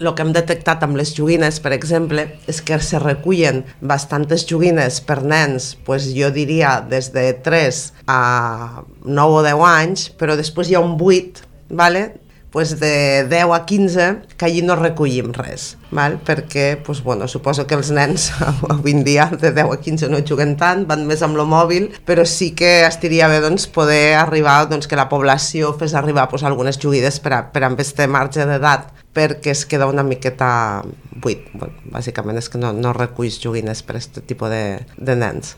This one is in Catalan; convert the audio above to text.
el que hem detectat amb les joguines, per exemple, és que se recullen bastantes joguines per nens, pues jo diria des de 3 a 9 o 10 anys, però després hi ha un buit, vale? Pues de 10 a 15 que allí no recollim res, val? Perquè pues, bueno, suposo que els nens avui en dia de 10 a 15 no juguen tant, van més amb el mòbil, però sí que estaria bé doncs, poder arribar, doncs, que la població fes arribar pues, algunes joguines per a aquest marge d'edat, perquè es queda una miqueta buit. Bueno, bàsicament és que no reculls joguines per a aquest tipus de nens.